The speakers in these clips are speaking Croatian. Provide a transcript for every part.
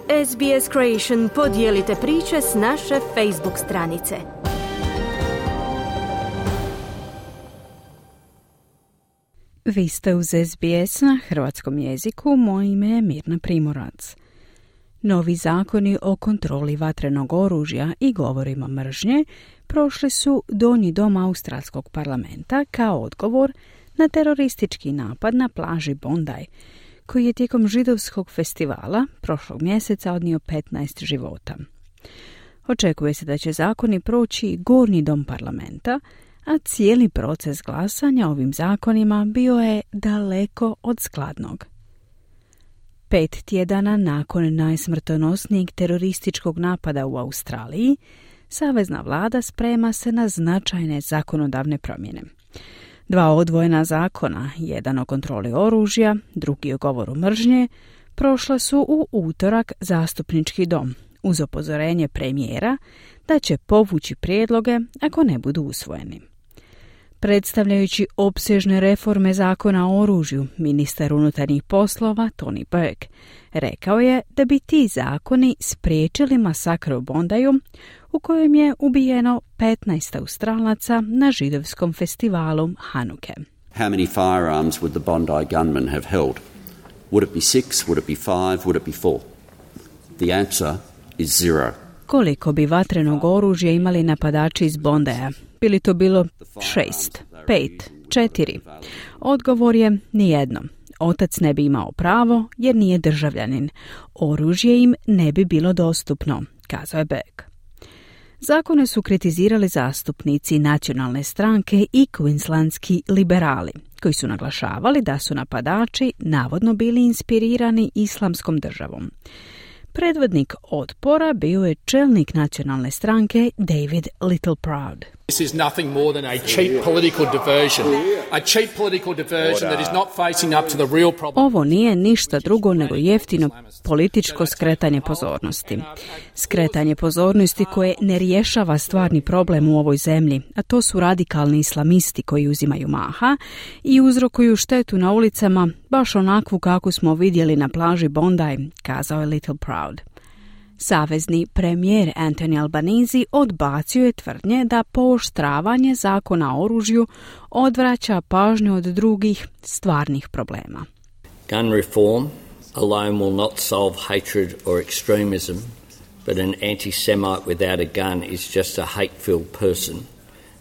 SBS Creation, podijelite priče s naše Facebook stranice. Vi ste uz SBS na hrvatskom jeziku, moje ime je Mirna Primorac. Novi zakoni o kontroli vatrenog oružja i govorima mržnje prošli su donji dom Australskog parlamenta kao odgovor na teroristički napad na plaži Bondi, koji je tijekom židovskog festivala prošlog mjeseca odnio 15 života. Očekuje se da će zakoni proći gornji dom parlamenta, a cijeli proces glasanja ovim zakonima bio je daleko od skladnog. 5 tjedana nakon najsmrtonosnijeg terorističkog napada u Australiji, savezna vlada sprema se na značajne zakonodavne promjene. 2 odvojena zakona, jedan o kontroli oružja, drugi o govoru mržnje, prošla su u utorak zastupnički dom, uz upozorenje premijera da će povući prijedloge ako ne budu usvojeni. Predstavljajući opsežne reforme zakona o oružju, ministar unutarnjih poslova Tony Burke rekao je da bi ti zakoni spriječili masakr u Bondiju, u kojem je ubijeno 15 Australaca na židovskom festivalu Hanuke. How many firearms would the Bondi gunmen have held? Would it be 6? Would it be 5? Would it be 4? The answer is 0. Koliko bi vatrenog oružja imali napadači iz Bondija? Bili to bilo 6, 5, 4? Odgovor je nijedno. Otac ne bi imao pravo jer nije državljanin. Oružje im ne bi bilo dostupno, kazao je Beck. Zakone su kritizirali zastupnici nacionalne stranke i queenslandski liberali, koji su naglašavali da su napadači navodno bili inspirirani islamskom državom. Predvodnik otpora bio je čelnik nacionalne stranke David Littleproud. This is nothing more than a cheap political diversion. A cheap political diversion that is not facing up to the real problem. Ovo nije ništa drugo nego jeftino političko skretanje pozornosti. Skretanje pozornosti koje ne rješava stvarni problem u ovoj zemlji, a to su radikalni islamisti koji uzimaju maha i uzrokuju štetu na ulicama, baš onakvu kako smo vidjeli na plaži Bondi, kazao je Littleproud. Savezni premijer Anthony Albanese odbacio je tvrdnje da pooštravanje zakona o oružju odvraća pažnju od drugih stvarnih problema. Gun reform alone will not solve hatred or extremism, but an anti-Semite without a gun is just a hate-filled person.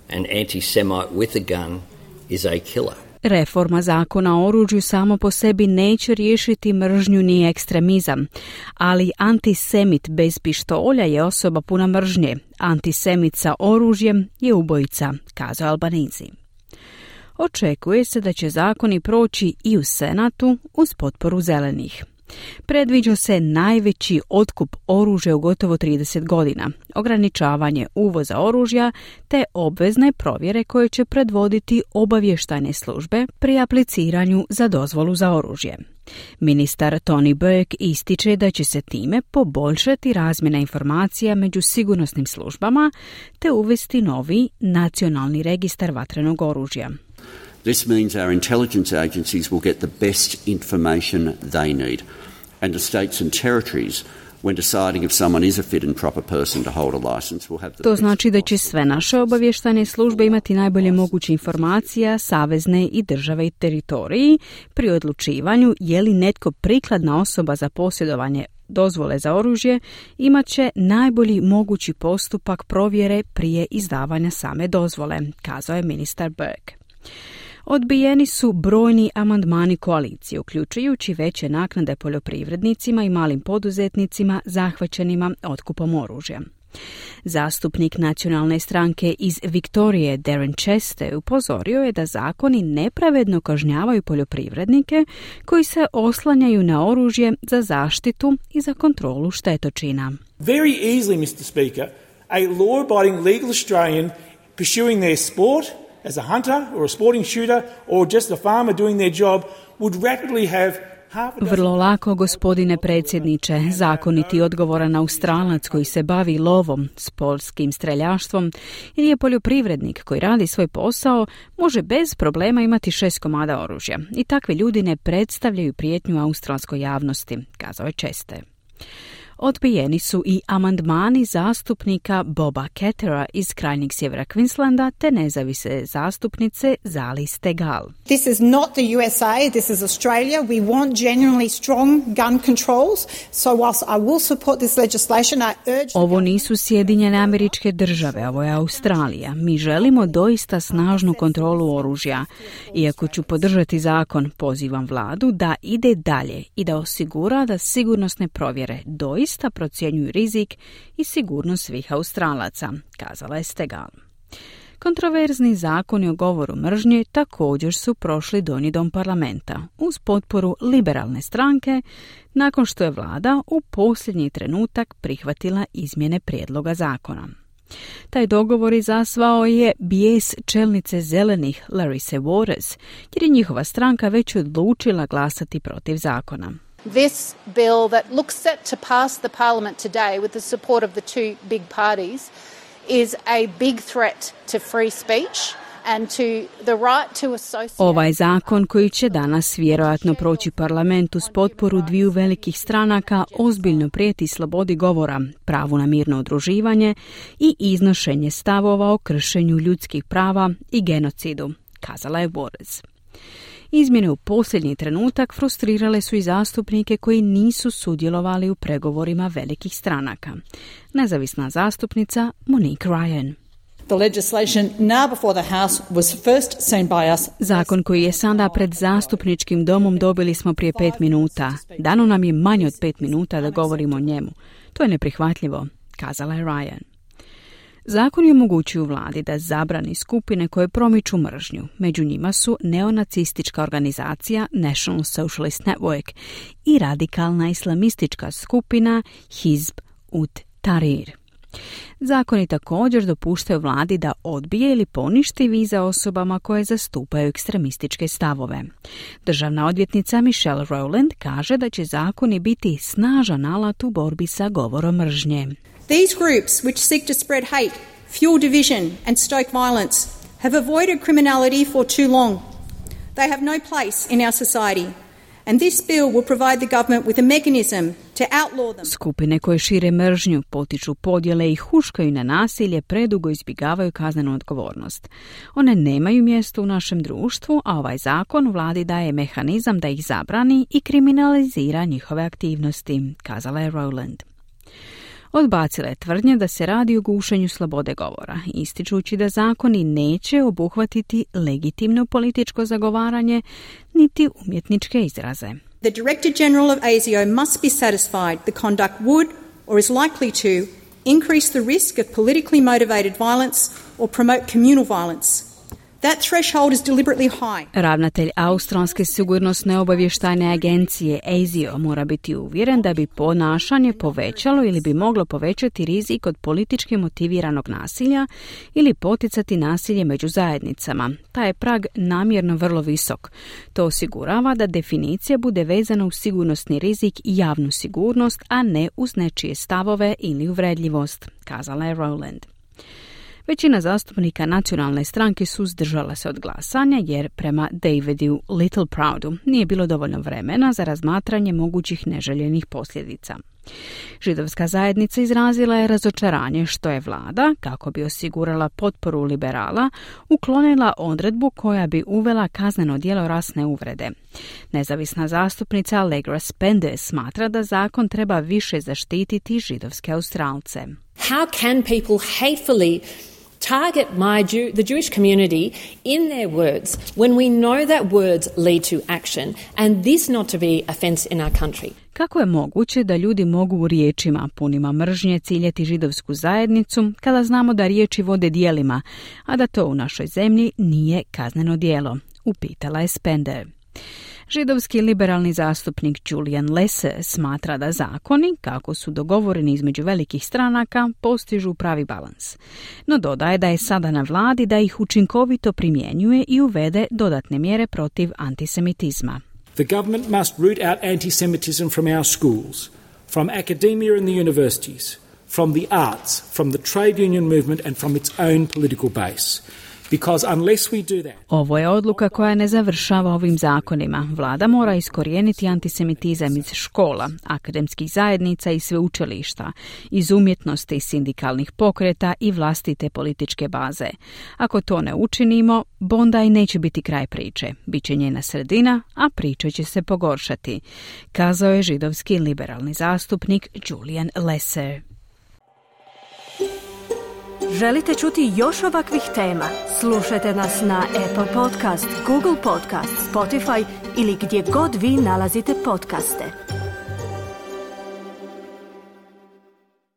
An anti-Semite with a gun is a killer. Reforma zakona o oružju samo po sebi neće riješiti mržnju ni ekstremizam, ali antisemit bez pištolja je osoba puna mržnje. Antisemit sa oružjem je ubojica, kazao Albanese. Očekuje se da će zakoni proći i u Senatu uz potporu zelenih. Predviđa se najveći otkup oružja u gotovo 30 godina, ograničavanje uvoza oružja te obvezne provjere koje će predvoditi obavještajne službe pri apliciranju za dozvolu za oružje. Ministar Tony Burke ističe da će se time poboljšati razmjena informacija među sigurnosnim službama te uvesti novi nacionalni registar vatrenog oružja. This means our intelligence agencies will get the best information they need, and the states and territories, when deciding if someone is a fit and proper person to hold a license, will have the To znači da će sve naše obavještajne službe imati najbolje moguće informacija, savezne i države i teritoriji pri odlučivanju je li netko prikladna osoba za posjedovanje dozvole za oružje, imat će najbolji mogući postupak provjere prije izdavanja same dozvole, kazao je ministar Burke. Odbijeni su brojni amandmani koalicije, uključujući veće naknade poljoprivrednicima i malim poduzetnicima zahvaćenima otkupom oružja. Zastupnik nacionalne stranke iz Viktorije Darren Chester upozorio je da zakoni nepravedno kažnjavaju poljoprivrednike koji se oslanjaju na oružje za zaštitu i za kontrolu štetočina. Very easily, Mr. Speaker, a law-abiding legal Australian pursuing their sport as a hunter or a sporting shooter or just a farmer doing their job would rapidly have Vrlo lako, gospodine predsjedniče, zakoniti odgovoran Australac koji se bavi lovom, sportskim streljaštvom ili je poljoprivrednik koji radi svoj posao, može bez problema imati 6 komada oružja. I takvi ljudi ne predstavljaju prijetnju australskoj javnosti, kazao je Chester. Odbijeni su i amandmani zastupnika Boba Kettera iz krajnjeg sjevera Queenslanda te nezavisne zastupnice Zali Steggall. This is not the USA, this is Australia. We want genuinely strong gun controls. So whilst I will support this legislation, I urge... Ovo nisu Sjedinjene Američke Države, ovo je Australija. Mi želimo doista snažnu kontrolu oružja. Iako ću podržati zakon, pozivam vladu da ide dalje i da osigura da sigurnosne provjere doista procjenjuju rizik i sigurnost svih Australaca, kazala je Steggall. Kontroverzni zakoni o govoru mržnje također su prošli Donji dom parlamenta uz potporu liberalne stranke nakon što je vlada u posljednji trenutak prihvatila izmjene prijedloga zakona. Taj dogovor izazvao je bijes čelnice zelenih Larissa Waters, jer je njihova stranka već odlučila glasati protiv zakona. This bill that looks set to pass the parliament today with the support of the two big parties is a big threat to free speech and to the right to associate. Ovaj zakon koji će danas vjerojatno proći parlamentu s potporu dviju velikih stranaka ozbiljno prijeti slobodi govora, pravu na mirno udruživanje i iznošenje stavova o kršenju ljudskih prava i genocidu, kazala je Waters. Izmjene u posljednji trenutak frustrirale su i zastupnike koji nisu sudjelovali u pregovorima velikih stranaka. Nezavisna zastupnica Monique Ryan. The legislation now before the House was first seen by us. Zakon koji je sada pred zastupničkim domom dobili smo prije 5 minuta. Dano nam je manje od 5 minuta da govorimo o njemu. To je neprihvatljivo, kazala je Ryan. Zakon je omogućuju vladi da zabrani skupine koje promiču mržnju. Među njima su neonacistička organizacija National Socialist Network i radikalna islamistička skupina Hizb ut-Tahrir. Zakoni također dopuštaju vladi da odbije ili poništi vize osobama koje zastupaju ekstremističke stavove. Državna odvjetnica Michelle Rowland kaže da će zakoni biti snažan alat u borbi sa govorom mržnje. These groups which seek to spread hate, fuel division and stoke violence have avoided criminality for too long. They have no place in our society. And this bill will provide the government with a mechanism to outlaw them. Skupine koje šire mržnju, potiču podjele i huškaju na nasilje predugo izbjegavaju kaznenu odgovornost. One nemaju mjesto u našem društvu, a ovaj zakon vladi daje mehanizam da ih zabrani i kriminalizira njihove aktivnosti, kazala je Rowland. Odbacila je tvrdnje da se radi o gušenju slobode govora, ističući da zakoni neće obuhvatiti legitimno političko zagovaranje niti umjetničke izraze. The Director General of ASIO must be satisfied the conduct would or is likely to increase the risk of politically motivated violence or promote communal violence. That threshold is deliberately high. Ravnatelj Australske sigurnosne obavještajne agencije ASIO mora biti uvjeren da bi ponašanje povećalo ili bi moglo povećati rizik od politički motiviranog nasilja ili poticati nasilje među zajednicama. Taj je prag namjerno vrlo visok. To osigurava da definicija bude vezana uz sigurnosni rizik i javnu sigurnost, a ne uz nečije stavove ili uvredljivost, kazala je Rowland. Većina zastupnika nacionalne stranke suzdržala se od glasanja jer prema Davidu Littleproudu nije bilo dovoljno vremena za razmatranje mogućih neželjenih posljedica. Židovska zajednica izrazila je razočaranje što je vlada, kako bi osigurala potporu liberala, uklonila odredbu koja bi uvela kazneno djelo rasne uvrede. Nezavisna zastupnica Allegra Spender smatra da zakon treba više zaštititi židovske Australce. How can people hatefully target the Jewish community in their words when we know that words lead to action and this not to be offense in our country? Kako je moguće da ljudi mogu u riječima punima mržnje ciljati židovsku zajednicu kada znamo da riječi vode djelima, a da to u našoj zemlji nije kazneno djelo? Upitala je Spender. Židovski liberalni zastupnik Julian Lesser smatra da zakoni, kako su dogovoreni između velikih stranaka, postižu pravi balans. No dodaje da je sada na vladi da ih učinkovito primjenjuje i uvede dodatne mjere protiv antisemitizma. The government must root out anti-Semitism from our schools, from academia and the universities, from the arts, from the trade union movement and from its own political base. Because unless we do that... Ovo je odluka koja ne završava ovim zakonima. Vlada mora iskorijeniti antisemitizam iz škola, akademskih zajednica i sveučilišta, iz umjetnosti, sindikalnih pokreta i vlastite političke baze. Ako to ne učinimo, Bondi neće biti kraj priče. Biće njena sredina, a priča će se pogoršati, kazao je židovski liberalni zastupnik Julian Lesser. Želite čuti još ovakvih tema? Slušajte nas na Apple Podcast, Google Podcast, Spotify ili gdje god vi nalazite podcaste.